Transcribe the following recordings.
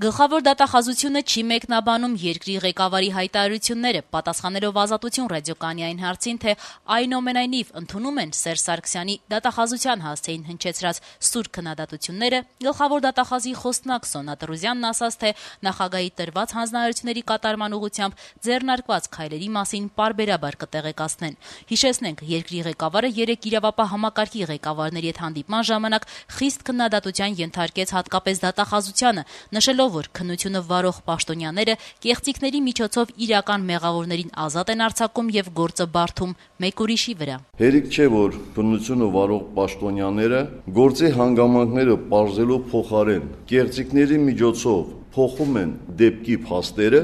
Գլխավոր դատախազությունը չի մեկնաբանում երկրի ղեկավարի հայտարարությունները, պատասխանելով Ազատություն ռադիոկայանին հարցին, թե այնուամենայնիվ ընդունում են Սերժ Սարգսյանի դատախազության հասցեին հնչեցրած սուր քննադատությունները, գլխավոր դատախազի խոսնակ Սոնա Տրուզյանն ասաց, թե նախագահի տրված հանձնարարությունների կատարման ուղղությամբ ձեռնարկված քայլերի մասին պարբերաբար կտեղեկացնեն։ Հիշեցնենք, երկրի ղեկավարը երեկ իրավապահ համակարգի ղեկավարների հետ հանդիպման ժամանակ խիստ քննադատության ենթարկեց հատկապես դատախազությանը, նշելով, որ քննությունը վարող պաշտոնյաները կեղծիքների միջոցով իրական մեղավորներին ազատ են արձակում եւ գործը բարդում մեկ ուրիշի վրա։ Հերիք չէ, որ քննությունը վարող պաշտոնյաները գործի հանգամանքները պարզելու փոխարեն կեղծիքների միջոցով փոխում են դեպքի փաստերը,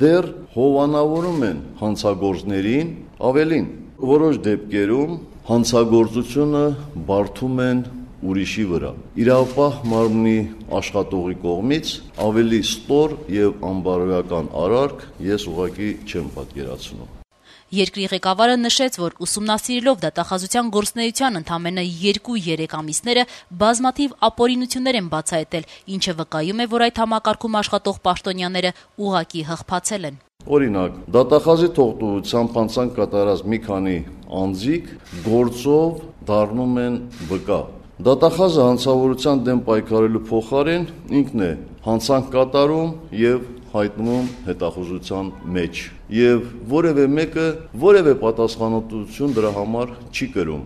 դեռ հովանավորում են հանցագործներին, ավելին, որոշ դեպքերում հանցագործությունը բարդում են ուրիշի վրա։ Իրավապահ մարմնի աշխատողի կողմից ավելի ստոր եւ անբարոյական արարք ես ուղղակի չեմ պատկերացնում։ Երկրի ղեկավարը նշեց, որ ուսումնասիրելով դատախազության գործունեության ընդամենը 2-3 ամիսները բազմաթիվ ապօրինություններ են բացահայտել, ինչը վկայում է, որ այդ համակարգում աշխատող պաշտոնյաները ուղղակի հղփացել են։ Օրինակ, դատախազի թողտվությամբ հանցանք կատարած մի քանի անձիկ գործով դառնում են վկա։ Դատախազը հանցավորության դեմ պայքարելու փոխարեն ինքն է հանցանք կատարում եւ հայտնվում հետախուզության մեջ եւ որևէ մեկը որևէ պատասխանատվություն դրա համար չի կրում։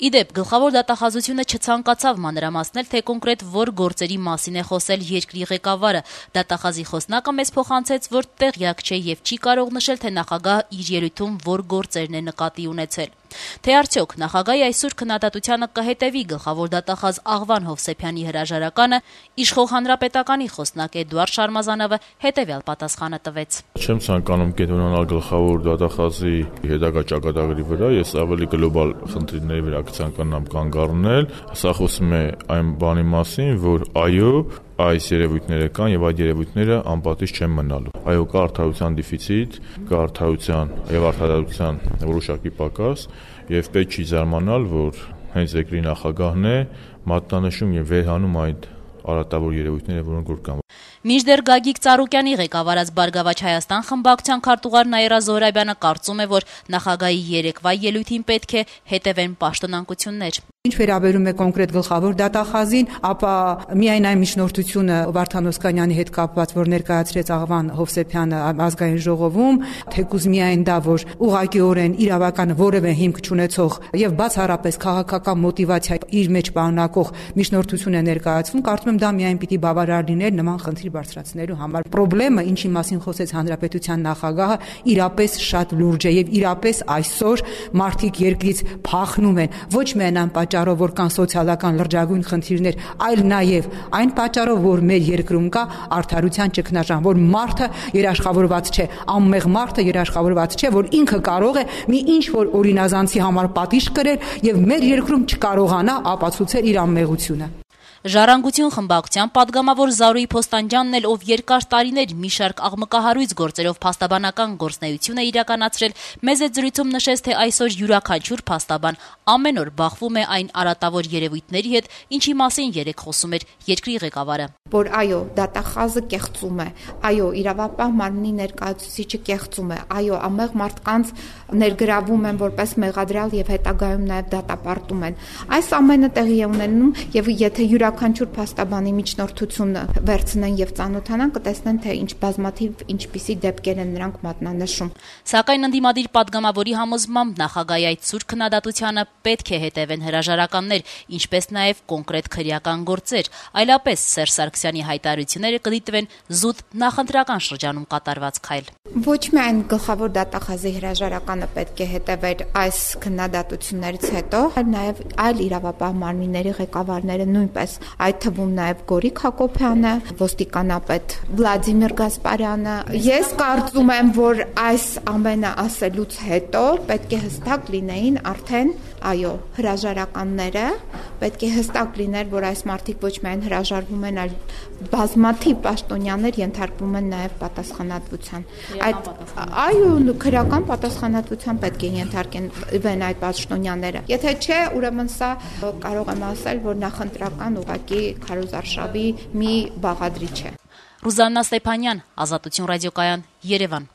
Իդեպ, գլխավոր դատախազությունը չցանկացավ մանրամասնել, թե կոնկրետ որ գործերի մասին է խոսել երկրի ղեկավարը։ Դատախազի խոսնակը մեզ փոխանցեց, որ տեղյակ չէ եւ չի կարող նշել, թե նախագահը իր ելույթում որ գործերն է նկատի ունեցել։ Թե արդյոք նախագահի այսօր քննադատությանը կհետևի գլխավոր դատախազ Աղվան Հովսեփյանի հրաժարականը, իշխող հանրապետականի խոսնակ Էդուարդ Շարմազանովը հետևյալ պատասխանը տվեց։ Չեմ ցանկանում կենտրոնանալ գլխավոր դատախազի հետագա ճակատագրի վրա, ես ավելի գլոբալ խնդիրների վրա կցանկանամ կանգ առնել։ Սա խոսում է այն բանի մասին, որ այո, այս երևույթները կան եւ այդ երևույթները անպատիժ չեն մնալու։ Այո, կա արդարության դեֆիցիտ, կա արդարության եւ արդարացության որոշակի պակաս եւ պետք չի զարմանալ, որ հենց երկրի նախագահն է մատնանշում եւ վերհանում այդ արատավոր երևույթները, որոնք որ կան։ Մինչդեռ Գագիկ Ծառուկյանի ղեկավարած Բարգավաճ Հայաստան խմբակցության քարտուղար Նաիրա Զոհրաբյանը կարծում է, որ նախագահի երեկվա ելույթին պետք է հետևեն պաշտոնանկություններ։ Ինչ վերաբերում է կոնկրետ գլխավոր դատախազին, ապա միայն այն միջնորդությունը Վարդան Օսկանյանի հետ կապված, որ ներկայացրեց Աղվան Հովսեփյանը ազգային ժողովում, թեկուզ միայն դա, որ ուղղակիորեն իրավական որևէ հիմք չունեցող եւ բացառապես քաղաքական մոտիվացիա իր մեջ պարունակող միջնորդություն է ներկայացվում, կարծում եմ դա միայն պիտի բավարար լիներ նման խնդիր բարձրացնելու համար։ Պրոբլեմը, ինչի մասին խոսեց հանրապետության նախագահը, իրապես շատ լուրջ է եւ իրապես այսօր մարդիկ երկրից փախնում են, ոչ միայն պատճառով, որ կան սոցիալական լրջագույն խնդիրներ, այլ նաև այն պատճառով, որ մեր երկրում կա արդարության ճգնաժամ, որ մարդը երաշխավորված չէ, անմեղ մարդը երաշխավորված չէ, որ ինքը կարող է մի ինչ որ օրինազանցի համար պատիժ կրել եւ մեր երկրում չկարողանա ապացուցել իր անմեղությունը։ Ժառանգություն խմբակցության падգամավոր Զարուհի Փոստանջյանն էլ, ով երկար տարիներ մի շարք աղմկահարույց գործերով փաստաբանական գործունեություն է իրականացրել, մեզ այդ զրույցում նշեց, թե այսօր յուրաքանչյուր փաստաբան ամեն օր բախվում է այն արատավոր երևույթների հետ, ինչի մասին երեկ խոսում էր երկրի ղեկավարը։ Որ այո, դատախազը կեղծում է, այո, իրավապահ մարմնի ներկայացուցիչը կեղծում է, այո, ամեղ մարդկանց ներգրավում են որպես մեղադրյալ եւ հետագայում նաեւ դատապարտում են։ Այս ամենը տեղի է ունենում եւ եթե յուրաքանչյուր փաստաբանի միջնորդությունը վերցնեն եւ ծանոթանան, կտեսնեն, թե ինչ բազմաթիվ ինչպիսի դեպքեր են նրանք մատնանշում։ Սակայն ընդդիմադիր падգամավորի համոզմամբ նախագահի այդ սուր քննադատությանը պետք է հետևեն հրաժարականներ, ինչպես նաեւ կոնկրետ քրեական գործեր, այլապես Սերժ Սարգսյանի հայտարարությունները կդիտվեն զուտ նախընտրական շրջանում կատարված քայլ։ Ոչ միայն գլխավոր դատախազի հրաժարականը պետք է հետևեր այս քննադատություններից հետո, այլ նաև այլ իրավապահ մարմինների ղեկավարները նույնպես, այդ թվում նաև Գորիկ Հակոբյանը, ոստիկանապետ Վլադիմիր Գասպարյանը։ Ես կարծում եմ, որ այս ամենը ասելուց հետո պետք է հստակ լինեին արդեն, այո, հրաժարականները, պետք է հստակ լիներ, որ այս մարդիկ ոչ միայն հրաժարվում են, այլ բազմաթիվ պաշտոնյաներ ենթարկվում են նաև պատասխանատվության։ Այո, քրեական պատասխանատվության պետք է ենթարկվեն այդ պաշտոնյաները։ Եթե չէ, ուրեմն սա կարող եմ ասել, որ նախընտրական ուղղակի քարոզարշավի մի բաղադրիչ է։ Ռուզաննա Ստեփանյան, Ազատություն ռադիոկայան, Երևան։